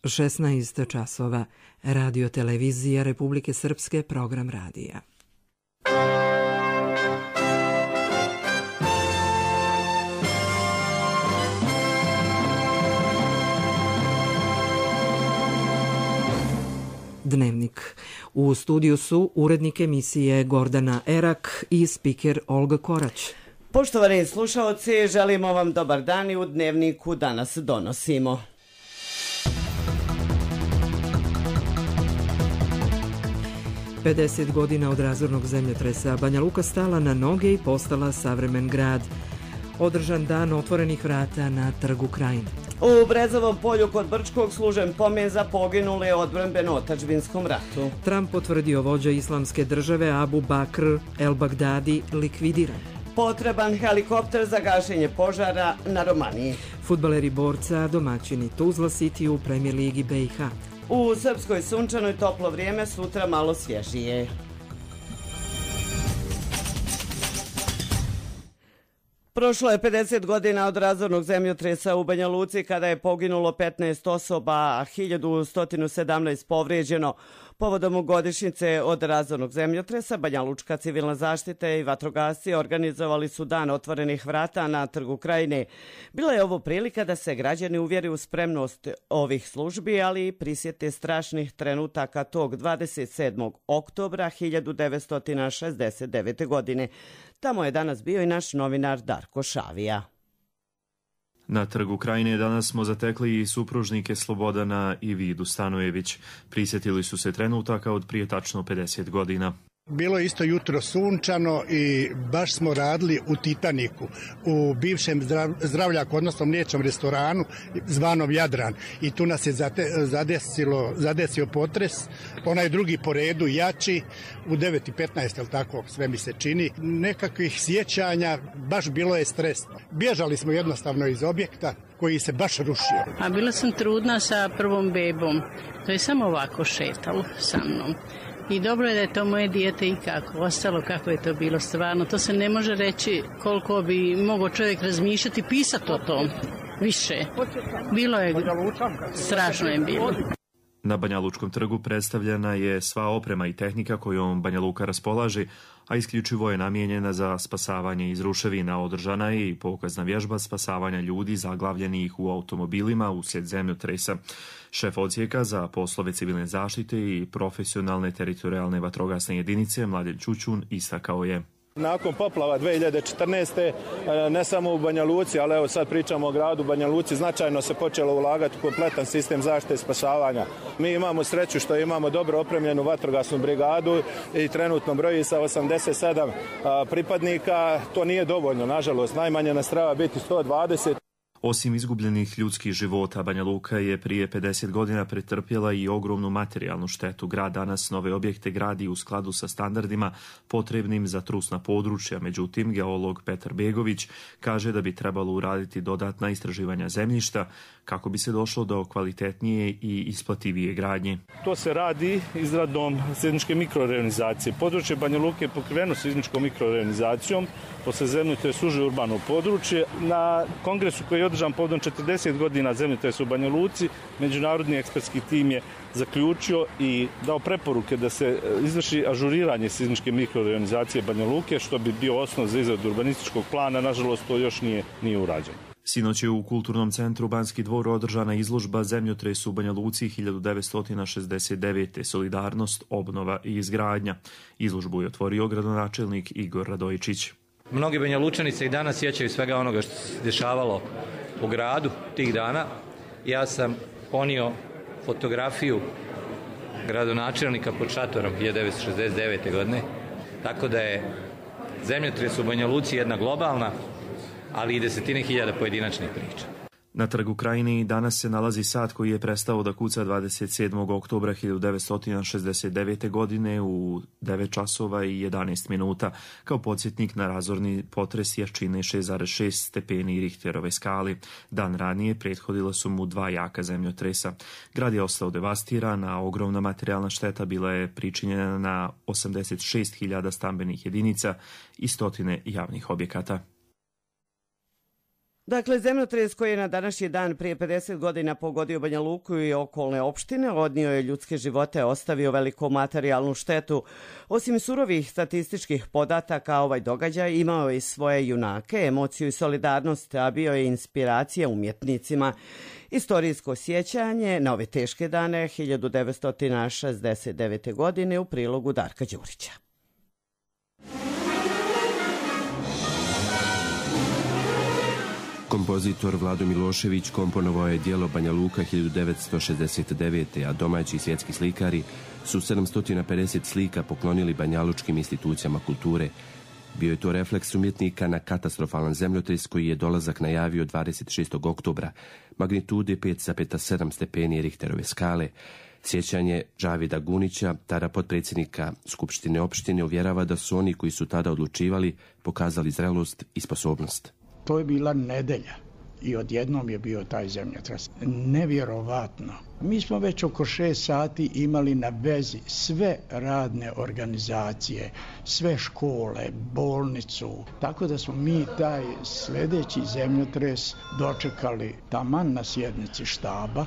16 časova. Radio televizija Republike Srpske, program radija. Dnevnik. U studiju su urednik emisije Gordana Erak i spiker Olga Korać. Poštovani slušaoci, želimo vam dobar dan i u Dnevniku danas donosimo. Pedeset godina od razornog zemljotresa, Banja Luka stala na noge i postala savremen grad. Održan dan otvorenih vrata na Trgu Krajine. U Brezovom polju kod Brčkog služen pomen za poginule u odbrambeno-otadžbinskom ratu. Trump potvrdio vođa islamske države Abu Bakr el-Bagdadi likvidiran. Potreban helikopter za gašenje požara na Romaniji. Fudbaleri Borca, domaćini Tuzla City u Premier ligi BiH. U Srpskoj sunčanoj toplo vrijeme, sutra malo svježije. Prošlo je 50 godina od razornog zemljotresa u Banja Luci kada je poginulo 15 osoba, a 1117 povrijeđeno. Povodom godišnjice od razornog zemljotresa, Banja Lučka civilna zaštita i vatrogasci organizovali su dan otvorenih vrata na Trgu Krajine. Bila je ovo prilika da se građani uvjeri u spremnost ovih službi, ali i prisjete strašnih trenutaka tog 27. oktobra 1969. godine. Tamo je danas bio i naš novinar Darko Šavija. Na Trgu Krajine danas smo zatekli i supružnike Slobodana i Vidu Stanojević. Prisjetili su se trenutaka od prije tačno 50 godina. Bilo je isto jutro sunčano i baš smo radili u Titaniku, u bivšem zdravljaku, odnosno mliječnom restoranu zvanom Jadran. I tu nas je zadesio potres, onaj drugi po redu, jači, u 9:15, jel tako, sve mi se čini. Nekakvih sjećanja, baš bilo je stresno. Bježali smo jednostavno iz objekta koji se baš rušio. A bila sam trudna sa prvom bebom, to je samo ovako šetalo sa mnom. I dobro je da je to moje dijete i kako ostalo, kako je to bilo stvarno. To se ne može reći koliko bi mogao čovjek razmišljati, pisati o tom više. Bilo je, strašno je bilo. Na Banja Lučkom trgu predstavljena je sva oprema i tehnika kojom Banja Luka raspolaže, a isključivo je namijenjena za spasavanje iz ruševina. Održana je i pokazna vježba spasavanja ljudi zaglavljenih u automobilima uslijed zemljotresa. Šef odsjeka za poslove civilne zaštite i profesionalne teritorijalne vatrogasne jedinice Mladen Ćućun istakao je: Nakon poplava 2014. ne samo u Banja Luci, ali evo sad pričamo o gradu Banja Luci, značajno se počelo ulagati u kompletan sistem zaštite i spasavanja. Mi imamo sreću što imamo dobro opremljenu vatrogasnu brigadu i trenutno broji sa 87 pripadnika. To nije dovoljno, nažalost, najmanje nas treba biti 120. Osim izgubljenih ljudskih života, Banja Luka je prije 50 godina pretrpjela i ogromnu materijalnu štetu. Grad danas nove objekte gradi u skladu sa standardima potrebnim za trusna područja. Međutim, geolog Petar Begović kaže da bi trebalo uraditi dodatna istraživanja zemljišta kako bi se došlo do kvalitetnije i isplativije gradnje. To se radi izradom seizmičke mikroreonizacije. Područje Banja Luke je pokriveno seizmičkom mikroreonizacijom, posle zemljotresa uže urbano područje. Na kongresu koji je održan povodom 40 godina zemljotresa u Banja Luci, međunarodni ekspertski tim je zaključio i dao preporuke da se izvrši ažuriranje seizmičke mikroreonizacije Banja Luke, što bi bio osnov za izradu urbanističkog plana. Nažalost, to još nije urađeno. Sinoć je u Kulturnom centru Banski dvor održana izložba Zemljotres u Banja Luci 1969. Solidarnost, obnova i izgradnja. Izložbu je otvorio gradonačelnik Igor Radojičić. Mnogi Banja Lučani se i danas sjećaju svega onoga što se dešavalo u gradu tih dana. Ja sam ponio fotografiju gradonačelnika pod šatorom 1969. godine, tako da je zemljotres u Banja Luci jedna globalna, ali i desetine hiljada pojedinačnih priča. Na Trgu Krajine danas se nalazi sat koji je prestao da kuca 27. oktobra 1969. godine u 9 časova i 11 minuta kao podsjetnik na razorni potres jačine 6,6 stepeni Richterove skali. Dan ranije prethodila su mu 2 jaka zemljotresa. Grad je ostao devastiran, a ogromna materijalna šteta bila je pričinjena na 86.000 stambenih jedinica i stotine javnih objekata. Dakle, zemljotres koji je na današnji dan prije 50 godina pogodio Banja Luku i okolne opštine, odnio je ljudske živote, ostavio veliku materijalnu štetu. Osim surovih statističkih podataka, ovaj događaj imao je i svoje junake, emociju i solidarnost, a bio je inspiracija umjetnicima. Istorijsko sjećanje na ove teške dane 1969. godine u prilogu Darka Đurića. Kompozitor Vlado Milošević komponovao je djelo Banja Luka 1969. a domaći svjetski slikari su 750 slika poklonili banjalučkim institucijama kulture. Bio je to refleks umjetnika na katastrofalan zemljotres koji je dolazak najavio 26. oktobra, magnitude 5,7 stepeni Richterove skale. Sjećanje Džavida Gunića, tada potpredsjednika Skupštine opštine, uvjerava da su oni koji su tada odlučivali pokazali zrelost i sposobnost. To je bila nedelja i odjednom je bio taj zemljotres. Nevjerovatno. Mi smo već oko 6 sati imali na vezi sve radne organizacije, sve škole, bolnicu. Tako da smo mi taj sljedeći zemljotres dočekali taman na sjednici štaba.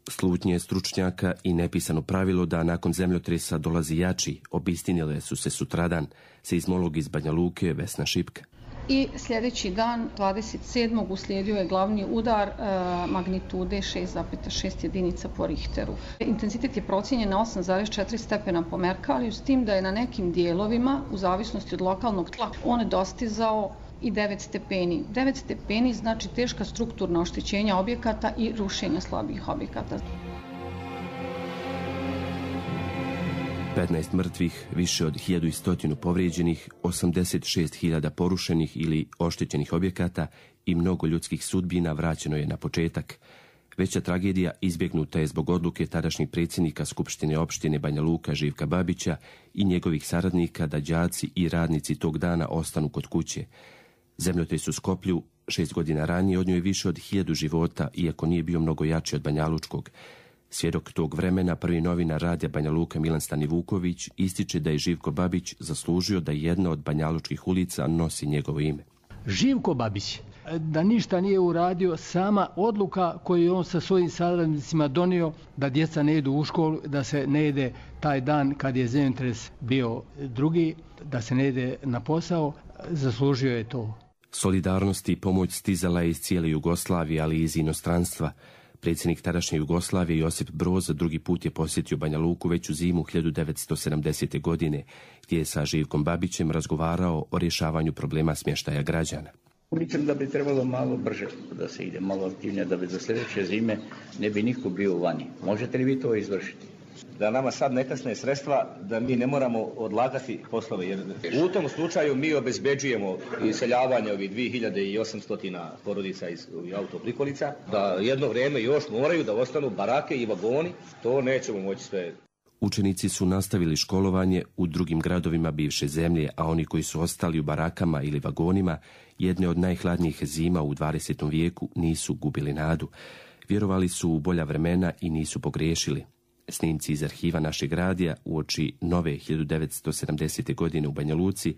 Slutnje stručnjaka i nepisano pravilo da nakon zemljotresa dolazi jači obistinile su se sutradan, seizmolog iz Banja Luke Vesna Šipka. I sljedeći dan, 27. uslijedio je glavni udar magnitude 6,6 jedinica po Richteru. Intenzitet je procijenjen na 8,4 stepena po Merkaliju, s tim da je na nekim dijelovima, u zavisnosti od lokalnog tla, on dostizao i 9 stepeni. 9 stepeni znači teška strukturna oštećenja objekata i rušenja slabih objekata. 15 mrtvih, više od 1100 povrijeđenih, 86.000 porušenih ili oštećenih objekata i mnogo ljudskih sudbina vraćeno je na početak. Veća tragedija izbjegnuta je zbog odluke tadašnjeg predsjednika Skupštine opštine Banja Luka Živka Babića i njegovih saradnika da đaci i radnici tog dana ostanu kod kuće. Zemljotres u Skoplju 6 godina ranije odnio je više od 1000 života, iako nije bio mnogo jači od banjalučkog. Svjedok tog vremena, prvi novinar radija Banja Luka Milan Stanivuković ističe da je Živko Babić zaslužio da jedna od banjalučkih ulica nosi njegovo ime. Živko Babić, da ništa nije uradio, sama odluka koju je on sa svojim saradnicima donio da djeca ne idu u školu, da se ne ide taj dan kad je zemljotres bio drugi, da se ne ide na posao, zaslužio je to. Solidarnost i pomoć stizala je iz cijele Jugoslavije, ali i iz inostranstva. Predsjednik tadašnje Jugoslavije Josip Broz drugi put je posjetio Banja Luku već u zimu 1970. godine, gdje je sa Živkom Babićem razgovarao o rješavanju problema smještaja građana. Mislim da bi trebalo malo brže da se ide, malo aktivnije, da bi za sljedeće zime ne bi niko bio vani. Možete li vi to izvršiti? Da nama sad ne kasne sredstva, da mi ne moramo odlagati poslove. Jer u tom slučaju mi obezbeđujemo iseljavanje ovih 2800 porodica iz autoprikolica, da jedno vrijeme još moraju da ostanu barake i vagoni, to nećemo moći sve. Učenici su nastavili školovanje u drugim gradovima bivše zemlje, a oni koji su ostali u barakama ili vagonima, jedne od najhladnijih zima u 20. vijeku, nisu gubili nadu. Vjerovali su u bolja vremena i nisu pogriješili. Snimci iz arhiva našeg radija uoči nove 1970. godine u Banja Luci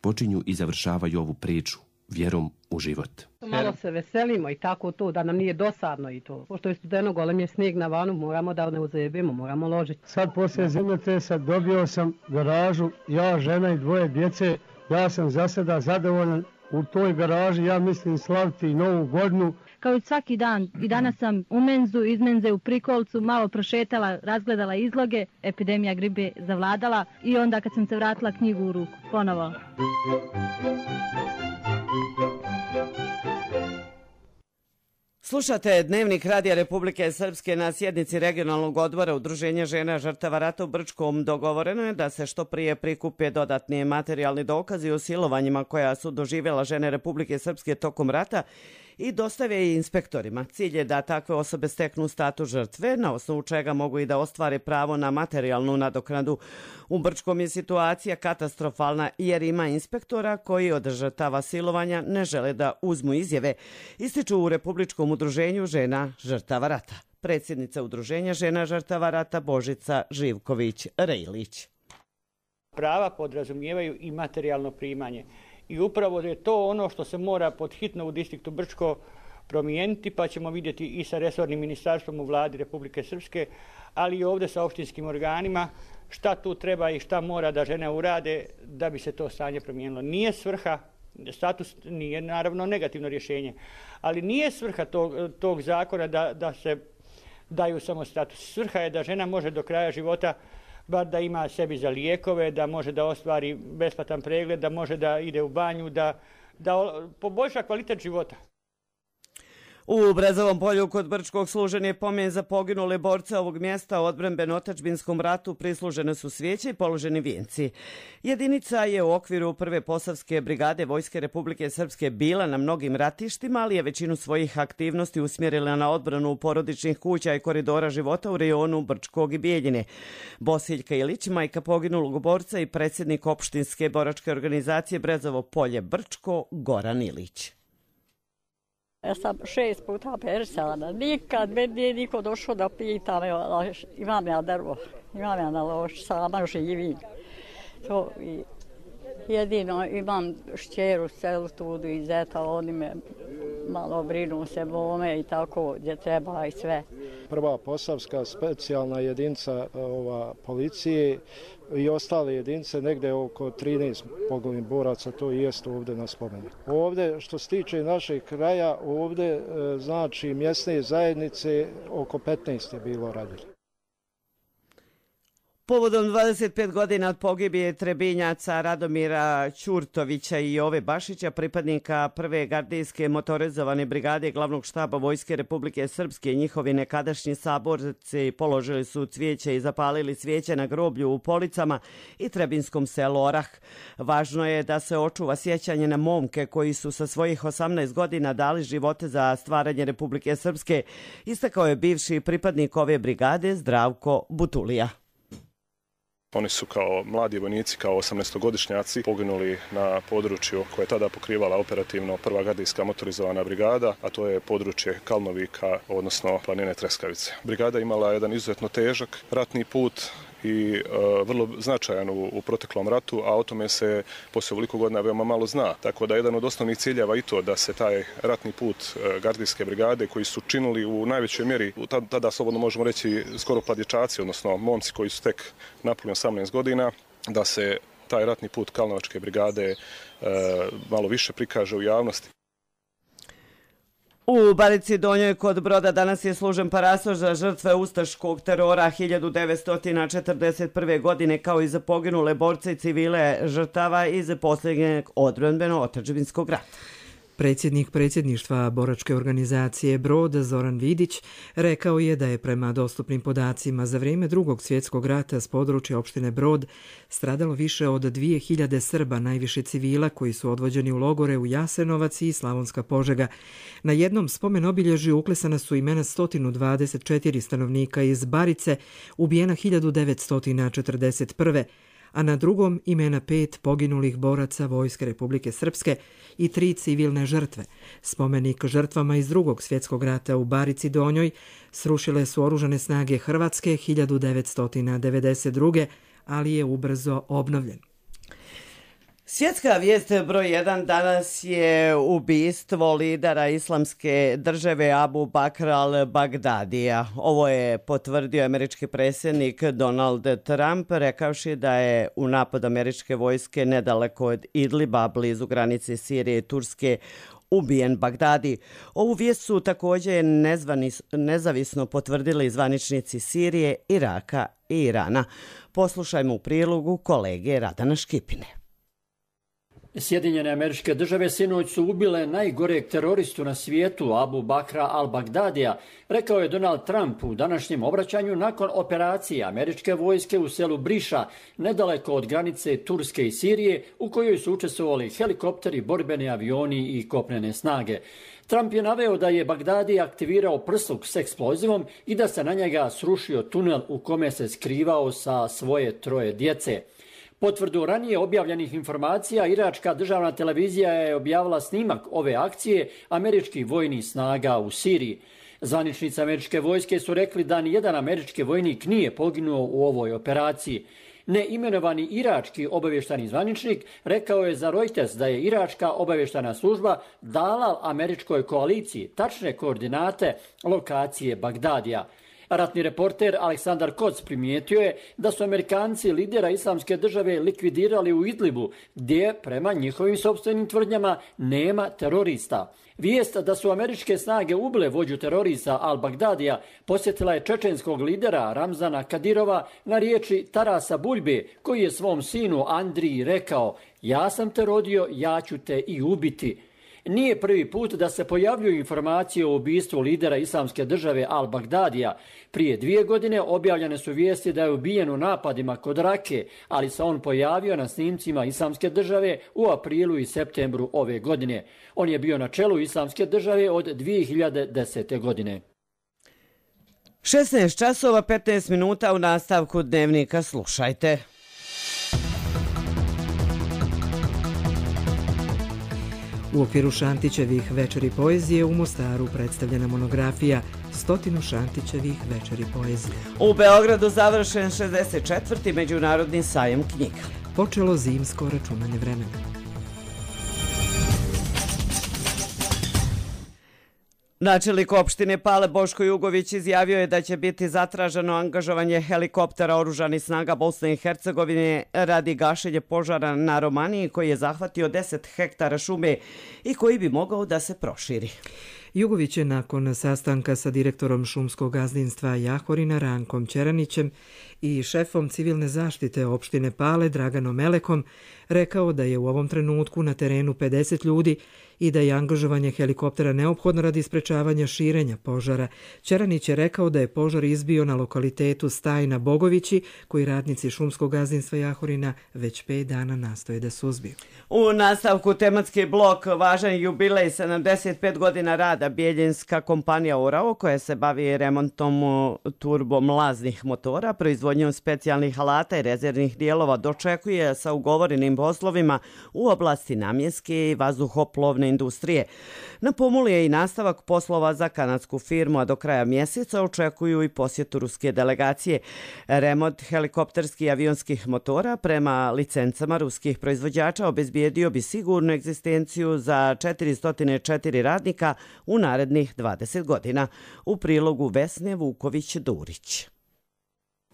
počinju i završavaju ovu priču vjerom u život. Malo se veselimo i tako to, da nam nije dosadno i to. Pošto je studeno, golem je snijeg na vanu, moramo da ne uzajebimo, moramo ložiti. Sad poslije zemljotresa dobio sam garažu, ja, žena i 2 djece. Ja sam za sada zadovoljan u toj garaži, ja mislim slaviti i Novu godinu. Kao i svaki dan, i danas sam u menzu, iz menze u Prikolcu, malo prošetala, razgledala izloge, epidemija gripe zavladala i onda kad sam se vratila knjigu u ruku, ponovo. Slušate Dnevnik Radija Republike Srpske. Na sjednici regionalnog odbora Udruženja žena žrtava rata u Brčkom dogovoreno je da se što prije prikupe dodatni materijalni dokazi o silovanjima koja su doživjela žene Republike Srpske tokom rata i dostave i inspektorima. Cilj je da takve osobe steknu status žrtve, na osnovu čega mogu i da ostvare pravo na materijalnu nadoknadu. U Brčkom je situacija katastrofalna jer ima inspektora koji od žrtava silovanja ne žele da uzmu izjave, ističu u Republičkom udruženju žena žrtava rata. Predsjednica Udruženja žena žrtava rata Božica Živković-Rejlić. Prava podrazumijevaju i materijalno primanje. i upravo je to ono što se mora podhitno u distriktu Brčko promijeniti, pa ćemo vidjeti i sa resornim ministarstvom u vladi Republike Srpske, ali i ovdje sa opštinskim organima šta tu treba i šta mora da žene urade da bi se to stanje promijenilo. Nije svrha, status nije naravno negativno rješenje, ali nije svrha tog zakona da se daju samo status. Svrha je da žena može do kraja života bar da ima sebi za lijekove, da može da ostvari besplatan pregled, da može da ide u banju, da poboljša kvalitet života. U Brezovom polju kod Brčkog služen je pomen za poginule borce ovog mjesta u odbrambeno-otadžbinskom ratu, prislužene su svijeće i položeni vijenci. Jedinica je u okviru prve Posavske brigade Vojske Republike Srpske bila na mnogim ratištima, ali je većinu svojih aktivnosti usmjerila na odbranu porodičnih kuća i koridora života u rejonu Brčkog i Bijeljine. Bosiljka Ilić, majka poginulog borca i predsjednik opštinske boračke organizacije Brezovo polje Brčko, Goran Ilić. Ja sam 6 puta perisana. Nikad me nije niko došao da pita me, imam ja drvo, imam ja na lož, sama živim. To jedino imam šćeru selu tudu i zeta, oni me malo brinu se bome i tako gdje treba i sve. Prva Posavska specijalna jedinica policije i ostale jedinice, negdje oko 13 poginulih boraca, to i jest ovdje na spomenu. Ovdje, što se tiče našeg kraja, ovdje znači mjesne zajednice oko 15 je bilo radili. Povodom 25 godina od pogibije Trebinjaca Radomira Ćurtovića i Jove Bašića, pripadnika prve gardijske motorizovane brigade glavnog štaba Vojske Republike Srpske, njihovi nekadašnji saborci položili su cvijeće i zapalili cvijeće na groblju u Policama i Trebinskom selu Orah. Važno je da se očuva sjećanje na momke koji su sa svojih 18 godina dali živote za stvaranje Republike Srpske, istakao je bivši pripadnik ove brigade Zdravko Butulija. Oni su kao mladi vojnici, kao 18-godišnjaci poginuli na području koje je tada pokrivala operativno prva gardijska motorizovana brigada, a to je područje Kalnovika, odnosno planine Treskavice. Brigada imala jedan izuzetno težak ratni put i vrlo značajan u proteklom ratu, a o tome se poslije ovoliko godina veoma malo zna. Tako da jedan od osnovnih ciljeva i to da se taj ratni put gardijske brigade koji su činili u najvećoj mjeri, tada slobodno možemo reći skoro pladječaci, odnosno momci koji su tek napuni 18 godina, da se taj ratni put Kalnovačke brigade malo više prikaže u javnosti. U Barici Donjoj kod Broda danas je služen parasoš za žrtve ustaškog terora 1941. godine, kao i za poginule borce i civile žrtava iz posljednjeg odbrambeno-otadžbinskog rata. Predsjednik predsjedništva boračke organizacije Brod Zoran Vidić rekao je da je prema dostupnim podacima za vrijeme Drugog svjetskog rata s područja opštine Brod stradalo više od 2000 Srba, najviše civila koji su odvođeni u logore u Jasenovac i Slavonska Požega. Na jednom spomen obilježju uklesana su imena 124 stanovnika iz Barice, ubijena 1941. a na drugom imena 5 poginulih boraca Vojske Republike Srpske i 3 civilne žrtve. Spomenik žrtvama iz Drugog svjetskog rata u Barici Donjoj srušile su oružane snage Hrvatske 1992. ali je ubrzo obnovljen. Svjetska vijest broj 1 danas je ubistvo lidera islamske države Abu Bakr al-Bagdadija. Ovo je potvrdio američki predsjednik Donald Trump, rekavši da je u napad američke vojske nedaleko od Idliba, blizu granice Sirije i Turske, ubijen Bagdadi. Ovu vijest su također nezavisno potvrdili zvaničnici Sirije, Iraka i Irana. Poslušajmo u prilogu kolege Radana Škipine. Sjedinjene Američke Države sinoć su ubile najgoreg teroristu na svijetu, Abu Bakra al-Bagdadija, rekao je Donald Trump u današnjem obraćanju nakon operacije američke vojske u selu Briša, nedaleko od granice Turske i Sirije, u kojoj su učestvovali helikopteri, borbeni avioni i kopnene snage. Trump je naveo da je Bagdadi aktivirao prsluk s eksplozivom i da se na njega srušio tunel u kome se skrivao sa svoje 3 djece. Potvrdu ranije objavljenih informacija, iračka državna televizija je objavila snimak ove akcije američkih vojnih snaga u Siriji. Zvaničnici američke vojske su rekli da nijedan američki vojnik nije poginuo u ovoj operaciji. Neimenovani irački obavještajni zvaničnik rekao je za Reuters da je iračka obavještajna služba dala američkoj koaliciji tačne koordinate lokacije Bagdadija. Ratni reporter Aleksandar Koc primijetio je da su Amerikanci lidera Islamske države likvidirali u Idlibu, gdje, prema njihovim sopstvenim tvrdnjama, nema terorista. Vijest da su američke snage ubile vođu terorista Al-Bagdadija posjetila je čečenskog lidera Ramzana Kadirova na riječi Tarasa Buljbe, koji je svom sinu Andriji rekao: "Ja sam te rodio, ja ću te i ubiti." Nije prvi put da se pojavljuju informacije o ubistvu lidera Islamske države Al-Bagdadija. Prije 2 godine objavljene su vijesti da je ubijen u napadima kod Rake, ali se on pojavio na snimcima Islamske države u aprilu i septembru ove godine. On je bio na čelu Islamske države od 2010. godine. 16 časova 15 minuta u nastavku dnevnika slušajte. U okviru Šantićevih večeri poezije u Mostaru predstavljena monografija 100 Šantićevih večeri poezije. U Beogradu završen 64. Međunarodni sajem knjiga. Počelo zimsko računanje vremena. Načelnik opštine Pale Boško Jugović izjavio je da će biti zatraženo angažovanje helikoptera oružanih snaga Bosne i Hercegovine radi gašenja požara na Romaniji koji je zahvatio 10 hektara šume i koji bi mogao da se proširi. Jugović je nakon sastanka sa direktorom šumskog gazdinstva Jahorina Rankom Ćeranićem i šefom civilne zaštite opštine Pale Draganom Melekom rekao da je u ovom trenutku na terenu 50 ljudi i da je angažovanje helikoptera neophodno radi sprečavanja širenja požara. Ćeranić je rekao da je požar izbio na lokalitetu Stajna Bogovići, koji radnici šumskog gazdinstva Jahorina već 5 dana nastoje da suzbiju. U nastavku tematski blok važan jubilej 75 godina rada Bijeljinska kompanija Orao, koja se bavi remontom turbomlaznih motora, proizvodnjom specijalnih alata i rezervnih dijelova, dočekuje sa ugovorenim poslovima u oblasti namjenske i vazduhoplovne industrije. Na pomolu je i nastavak poslova za kanadsku firmu, a do kraja mjeseca očekuju i posjetu ruske delegacije. Remont helikopterskih i avionskih motora prema licencama ruskih proizvođača obezbijedio bi sigurnu egzistenciju za 404 radnika u narednih 20 godina. U prilogu Vesne Vuković-Durić.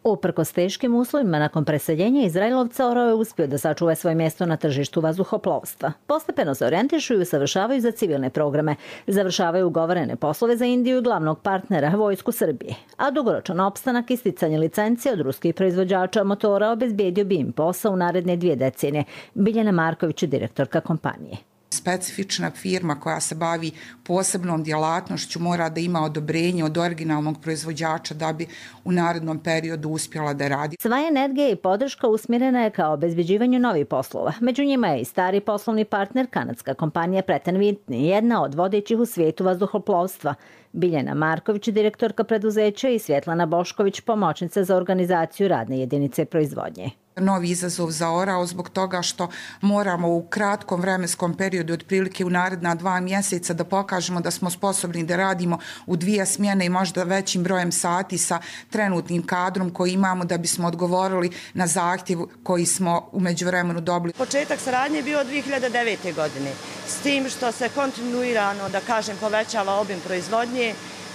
Uprkos teškim uslovima nakon preseljenja Izraelovca, Orao je uspio da sačuva svoje mjesto na tržištu vazduhoplovstva. Postepeno se orijentišu i usavršavaju za civilne programe. Završavaju ugovorene poslove za Indiju i glavnog partnera Vojsku Srbije. A dugoročan opstanak i sticanje licencije od ruskih proizvođača motora obezbijedio bi im posao u naredne 2 decenije. Biljana Marković, direktorka kompanije. Specifična firma koja se bavi posebnom djelatnošću mora da ima odobrenje od originalnog proizvođača da bi u narednom periodu uspjela da radi. Sva energija i podrška usmjerena je ka obezbeđivanju novih poslova. Među njima je i stari poslovni partner kanadska kompanija Pratt & Whitney, jedna od vodećih u svijetu vazduhoplovstva. Biljana Marković, direktorka preduzeća, i Svjetlana Bošković, pomoćnica za organizaciju radne jedinice proizvodnje. Novi izazov za Orao zbog toga što moramo u kratkom vremenskom periodu, otprilike u naredna 2 mjeseca, da pokažemo da smo sposobni da radimo u 2 smjene i možda većim brojem sati sa trenutnim kadrom koji imamo da bismo odgovorili na zahtjev koji smo u međuvremenu dobili. Početak saradnje je bio 2009. godine, s tim što se kontinuirano, da kažem, povećava obim proizvodnje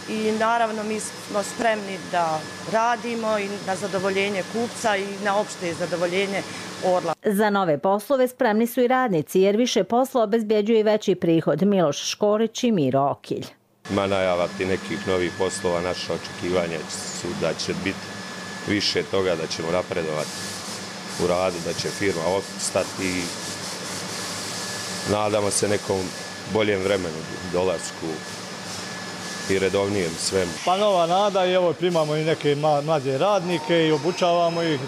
i naravno mi smo spremni da radimo i na zadovoljenje kupca i na opšte zadovoljenje Orla. Za nove poslove spremni su i radnici, jer više posla obezbjeđuje i veći prihod. Miloš Škorić i Miro Okilj. Ima najavati nekih novih poslova, naše očekivanja su da će biti više toga, da ćemo napredovati u radu, da će firma opstati i nadamo se nekom boljem vremenu, dolasku i redovnijem svemu. Pa nova nada i evo primamo i neke mlađe radnike i obučavamo ih,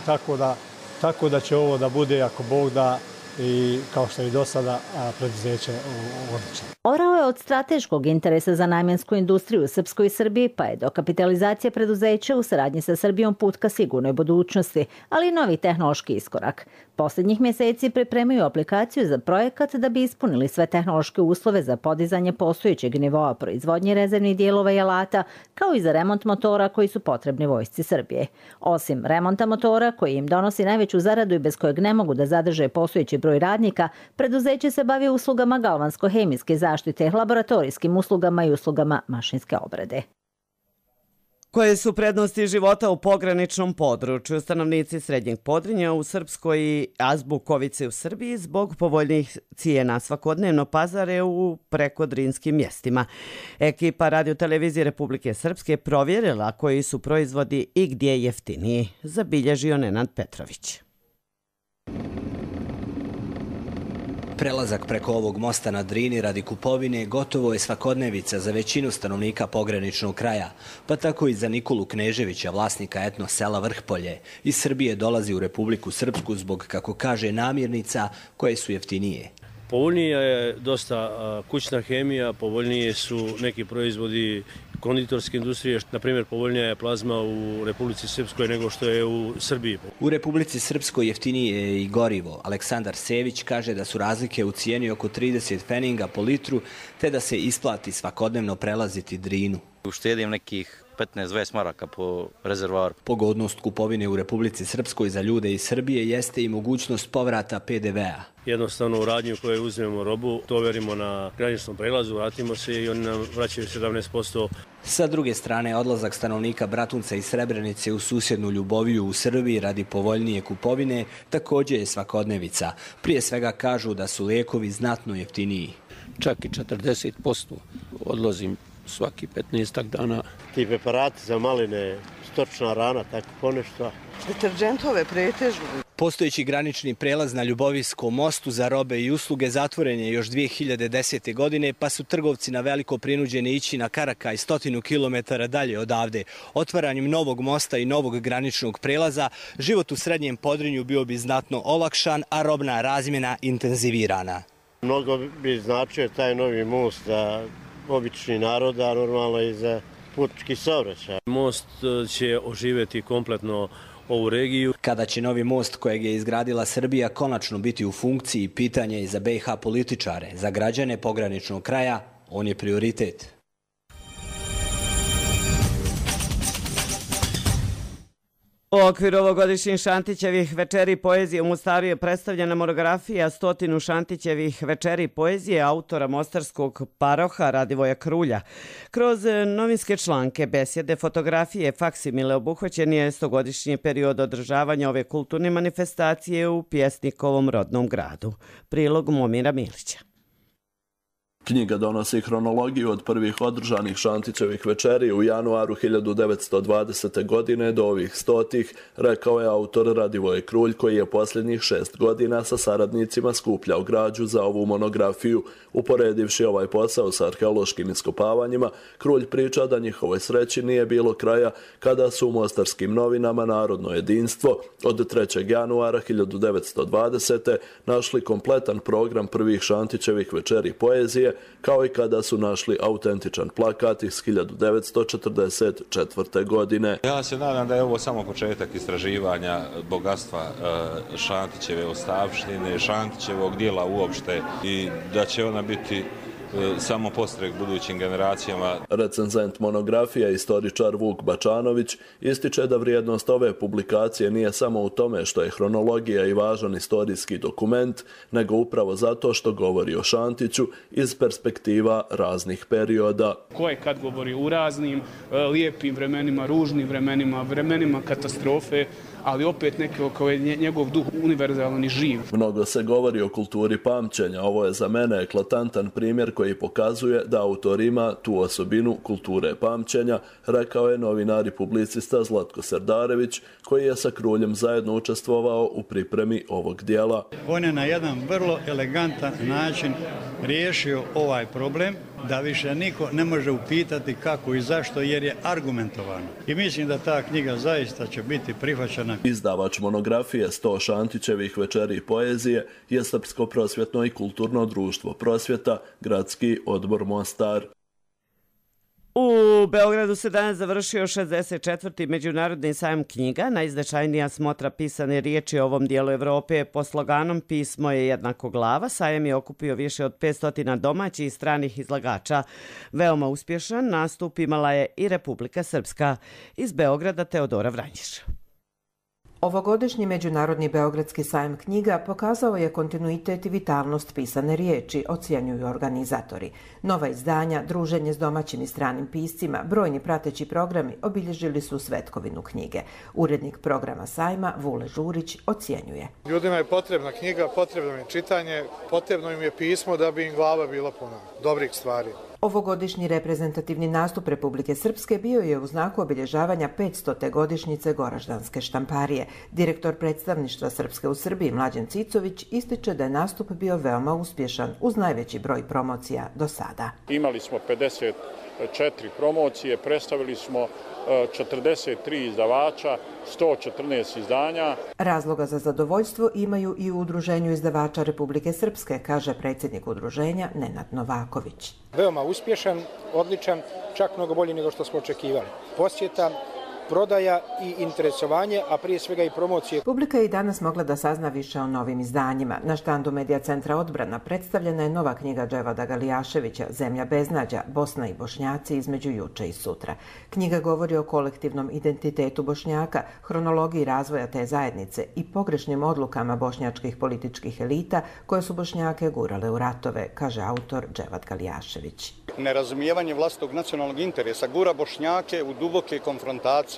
tako da će ovo da bude, ako Bog da, i kao što je i do sada preduzeće odlično. Orao je od strateškog interesa za namjensku industriju u Srpskoj i Srbiji, pa je dokapitalizacija preduzeća u saradnji sa Srbijom put ka sigurnoj budućnosti, ali i novi tehnološki iskorak. Posljednjih mjeseci pripremaju aplikaciju za projekat da bi ispunili sve tehnološke uslove za podizanje postojećeg nivoa proizvodnje rezervnih dijelova i alata, kao i za remont motora koji su potrebni vojsci Srbije. Osim remonta motora, koji im donosi najveću zaradu i bez kojeg ne mogu da zadrže postojeći broj radnika, preduzeće se bavi uslugama galvansko-hemijske zaštite, laboratorijskim uslugama i uslugama mašinske obrade. Koje su prednosti života u pograničnom području? Stanovnici Srednjeg Podrinja u Srpskoj i Azbukovice u Srbiji zbog povoljnih cijena svakodnevno pazare u prekodrinskim mjestima. Ekipa Radio-televizije Republike Srpske provjerila koji su proizvodi i gdje je jeftiniji, zabilježio Nenad Petrović. Prelazak preko ovog mosta na Drini radi kupovine gotovo je svakodnevica za većinu stanovnika pograničnog kraja, pa tako i za Nikolu Kneževića, vlasnika etno sela Vrhpolje. Iz Srbije dolazi u Republiku Srpsku zbog, kako kaže, namirnica koje su jeftinije. Povoljnija je dosta kućna hemija, povoljnije su neki proizvodi konditorske industrije, na primjer povoljnija je plazma u Republici Srpskoj nego što je u Srbiji. U Republici Srpskoj jeftinije je i gorivo. Aleksandar Sević kaže da su razlike u cijeni oko 30 pfeninga po litru, te da se isplati svakodnevno prelaziti Drinu. Uštedim nekih 15-20 maraka po rezervoaru. Pogodnost kupovine u Republici Srpskoj za ljude iz Srbije jeste i mogućnost povrata PDV-a. Jednostavno u radnju koje uzmemo robu, to overimo na graničnom prelazu, vratimo se i oni nam vraćaju 17%. Sa druge strane, odlazak stanovnika Bratunca i Srebrenice u susjednu Ljuboviju u Srbiji radi povoljnije kupovine također je svakodnevica. Prije svega kažu da su lijekovi znatno jeftiniji. Čak i 40% odlazim svaki 15 dana. Ti preparati za maline, stočna rana, tako ponešto. Deterđentove pretežno. Postojeći granični prelaz na Ljubovijskom mostu za robe i usluge zatvoren je još 2010. godine, pa su trgovci na veliko prinuđeni ići na Karakaj 100 km dalje odavde. Otvaranjem novog mosta i novog graničnog prelaza, život u Srednjem Podrinju bio bi znatno olakšan, a robna razmjena intenzivirana. Mnogo bi značio taj novi most za obični narod, a normalno i za putnički saobraćaj. Most će oživjeti kompletno ovu regiju. Kada će novi most kojeg je izgradila Srbija konačno biti u funkciji, pitanje je za BiH političare. Za građane pograničnog kraja on je prioritet. U okviru ovogodišnjih Šantićevih večeri poezije u Mostaru je predstavljena monografija 100 Šantićevih večeri poezije autora mostarskog paroha Radivoja Krulja. Kroz novinske članke, besjede, fotografije, faksimile obuhvaćen je 100-godišnji period održavanja ove kulturne manifestacije u pjesnikovom rodnom gradu. Prilog Momira Milića. Knjiga donosi hronologiju od prvih održanih Šantićevih večeri u januaru 1920. godine do ovih 100-ih, rekao je autor Radivoj Krulj, koji je posljednjih 6 godina sa saradnicima skupljao građu za ovu monografiju. Uporedivši ovaj posao sa arheološkim iskopavanjima, Krulj priča da njihovoj sreći nije bilo kraja kada su u mostarskim novinama Narodno jedinstvo od 3. januara 1920. našli kompletan program prvih Šantićevih večeri poezije, kao i kada su našli autentičan plakat iz 1944. godine. Ja se nadam da je ovo samo početak istraživanja bogatstva Šantićeve ostavštine, Šantićevog dijela uopšte i da će ona biti samo postrek budućim generacijama. Recenzent monografije, istoričar Vuk Bačanović, ističe da vrijednost ove publikacije nije samo u tome što je hronologija i važan istorijski dokument, nego upravo zato što govori o Šantiću iz perspektiva raznih perioda. Ko je kad govori u raznim lijepim vremenima, ružnim vremenima, vremenima katastrofe, ali opet neko kao je njegov duh univerzalan i živ. Mnogo se govori o kulturi pamćenja. Ovo je za mene eklatantan primjer koji pokazuje da autor ima tu osobinu kulture pamćenja, rekao je novinar i publicista Zlatko Serdarević, koji je sa Kruljem zajedno učestvovao u pripremi ovog dijela. On je na jedan vrlo elegantan način riješio ovaj problem da više niko ne može upitati kako i zašto, jer je argumentovano. I mislim da ta knjiga zaista će biti prihvaćena. Izdavač monografije 100 Šantićevih večeri i poezije je Srpsko prosvjetno i kulturno društvo Prosvjeta, Gradski odbor Mostar. U Beogradu se danas završio 64. Međunarodni sajam knjiga, najznačajnija smotra pisane riječi u ovom dijelu Evrope. Po sloganom Pismo je jednako glava, sajam je okupio više od 500 domaćih i stranih izlagača. Veoma uspješan nastup imala je i Republika Srpska. Iz Beograda Teodora Vranjiš. Ovogodišnji Međunarodni Beogradski sajam knjiga pokazao je kontinuitet i vitalnost pisane riječi, ocjenjuju organizatori. Nova izdanja, druženje s domaćim i stranim piscima, brojni prateći programi obilježili su svetkovinu knjige. Urednik programa sajma Vule Žurić ocjenjuje. Ljudima je potrebna knjiga, potrebno im je čitanje, potrebno im je pismo da bi im glava bila puna dobrih stvari. Ovogodišnji reprezentativni nastup Republike Srpske bio je u znaku obilježavanja 500. godišnjice Goraždanske štamparije. Direktor predstavništva Srpske u Srbiji Mlađan Cicović ističe da je nastup bio veoma uspješan uz najveći broj promocija do sada. Imali smo 54 promocije, predstavili smo 43 izdavača, 114 izdanja. Razloga za zadovoljstvo imaju i u Udruženju izdavača Republike Srpske, kaže predsjednik udruženja Nenad Novaković. Veoma uspješan, odličan, čak mnogo bolji nego što smo očekivali. Posjeta, prodaja i interesovanje, a prije svega i promocije. Publika je i danas mogla da sazna više o novim izdanjima. Na štandu Medija centra Odbrana predstavljena je nova knjiga Dževada Galijaševića Zemlja beznađa, Bosna i Bošnjaci između juče i sutra. Knjiga govori o kolektivnom identitetu Bošnjaka, hronologiji razvoja te zajednice i pogrešnim odlukama bošnjačkih političkih elita koje su Bošnjake gurale u ratove, kaže autor Dževad Galijašević. Nerazumijevanje vlastitog nacionalnog interesa gura Bošnjake u duboke konfrontacije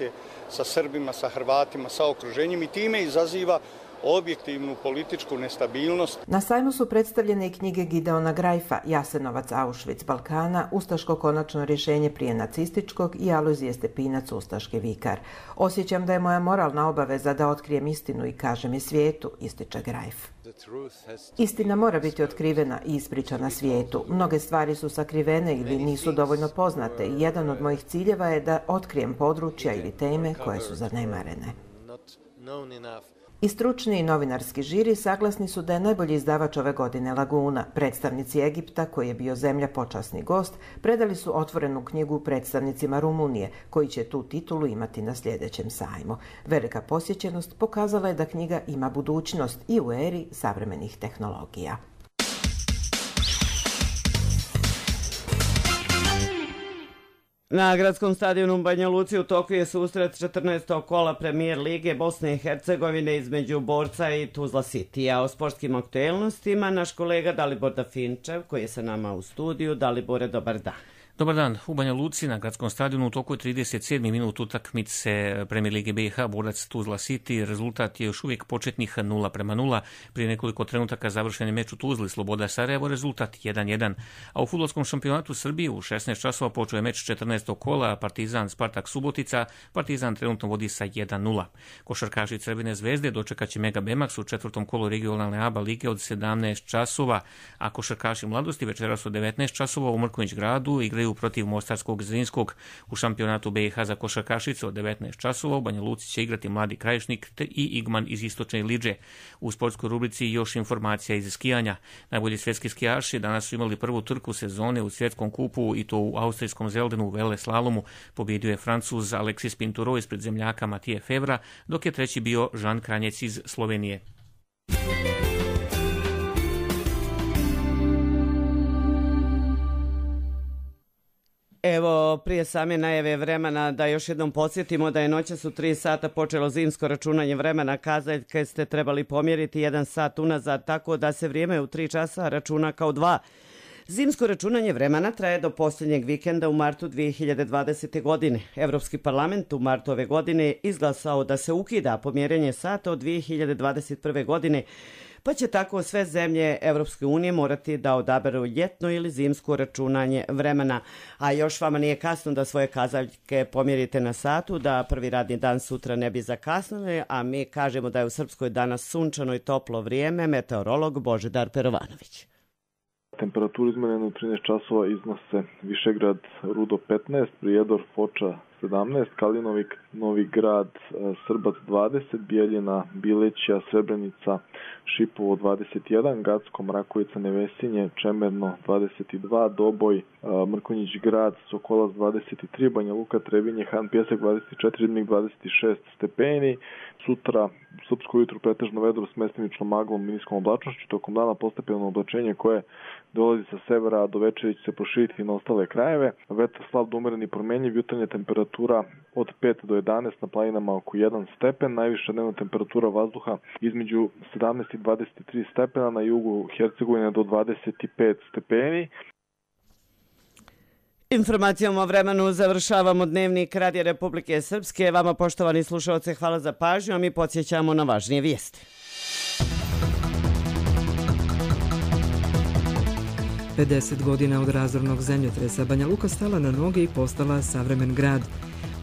sa Srbima, sa Hrvatima, sa okruženjem i time izaziva objektivnu političku nestabilnost. Na sajmu su predstavljene i knjige Gideona Grajfa, Jasenovac, Auschwitz, Balkana, Ustaško konačno rješenje prije nacističkog i Alojzije Stepinac, Ustaški vikar. Osjećam da je moja moralna obaveza da otkrijem istinu i kažem je svijetu, ističe Grajf. Istina mora biti otkrivena i ispričana svijetu. Mnoge stvari su sakrivene ili nisu dovoljno poznate i jedan od mojih ciljeva je da otkrijem područja ili teme koje su zanemarene. I stručni i novinarski žiri saglasni su da je najbolji izdavač ove godine Laguna. Predstavnici Egipta, koji je bio zemlja počasni gost, predali su otvorenu knjigu predstavnicima Rumunije, koji će tu titulu imati na sljedećem sajmu. Velika posjećenost pokazala je da knjiga ima budućnost i u eri savremenih tehnologija. Na gradskom stadionu u Banja Luci u toku je susret 14. kola Premijer Lige Bosne i Hercegovine između Borca i Tuzla Citya. O sportskim aktuelnostima naš kolega Dalibor Dafinčev, koji je sa nama u studiju. Dalibore, dobar dan. Dobar dan. U Banja Luci na gradskom stadionu u toku je 37. minut utakmice Premijer Lige BiH Borac Tuzla City. Rezultat je još uvijek početnih 0:0. Prije nekoliko trenutaka završen je meč u Tuzli Sloboda Sarajevo, rezultat 1:1. A u fudbalskom šampionatu Srbije u 16 časova počeo je meč 14. kola Partizan Spartak Subotica. Partizan trenutno vodi sa 1:0. Košarkaši Crvene zvezde dočekat će Mega Bemax u četvrtom kolu regionalne ABA lige od 17 časova, a košarkaši mladosti večeras od 19 časova u Mrkonjić gradu igraju protiv Mostarskog Zrinskog. U šampionatu BiH za košarkašice od 19 časova u Banja Luci će igrati Mladi Krajišnik i Igman iz Istočne Lidže. U sportskoj rubrici još informacija iz skijanja. Najbolji svjetski skijaši danas su imali prvu trku sezone u svjetskom kupu i to u austrijskom Zeldenu u vele slalomu. Pobjedio je Francuz Alexis Pinturo ispred zemljaka Matije Fevra, dok je treći bio Žan Kranjec iz Slovenije. Evo, prije same najave vremena da još jednom podsjetimo da je noćas u 3 sata počelo zimsko računanje vremena. Kazaljke ste trebali pomjeriti 1 sat unazad, tako da se vrijeme u 3 časa računa kao 2. Zimsko računanje vremena traje do posljednjeg vikenda u martu 2020. godine. Evropski parlament u martu ove godine izglasao da se ukida pomjerenje sata od 2021. godine, pa će tako sve zemlje Evropske unije morati da odaberu ljetno ili zimsko računanje vremena. A još vama nije kasno da svoje kazaljke pomjerite na satu, da prvi radni dan sutra ne bi zakasnili, a mi kažemo da je u Srpskoj danas sunčano i toplo vrijeme. Meteorolog Božidar Perovanović. Temperaturu izmerenu u 13 časova iznose Višegrad, Rudo 15, Prijedor, Foča 17, Kalinovik, Novi Grad, Srbac 20, Bijeljina, Bileća, Srebrenica, Šipovo 21, Gacko, Mrakovica, Nevesinje, Čemerno 22, Doboj, Mrkonjić Grad, Sokolac 23, Banja Luka, Trebinje, Han Pjesak 24, Ribnik 26 stepeni. Sutra srpsko jutro pretežno vedro s mestimičnom maglom i niskom oblačnošću, tokom dana postepeno oblačenje koje dolazi sa severa, a do večeri će se proširiti na ostale krajeve. Vetar slab do umeren i promenjiv, jutarnja temperatura od 5 do 11, na planinama oko 1 stepen, najviša dnevna temperatura vazduha između 17 i 23 stepena, na jugu Hercegovine do 25 stepeni. Informacijom o vremenu završavamo dnevnik Radija Republike Srpske. Vama, poštovani slušalci, hvala za pažnju, a mi podsjećamo na važnije vijesti. 50 godina od razornog zemljotresa Banja Luka stala na noge i postala savremen grad.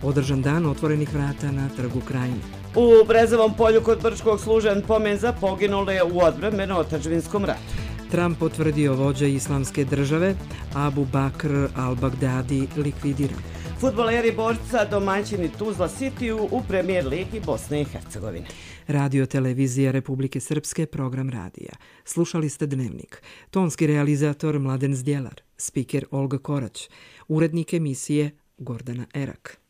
Održan dan otvorenih vrata na Trgu Krajine. U Brezovom polju kod Brčkog služen pomen za poginule u odbrambeno-otadžbinskom ratu. Trump potvrdio vođa islamske države, Abu Bakr al-Baghdadi likvidiran. Fudbaleri borca domaćini Tuzla Cityu u Premier ligi Bosne i Hercegovine. Radio televizija Republike Srpske, program radija. Slušali ste Dnevnik. Tonski realizator Mladen Zdjelar, spiker Olga Korać, urednik emisije Gordana Erak.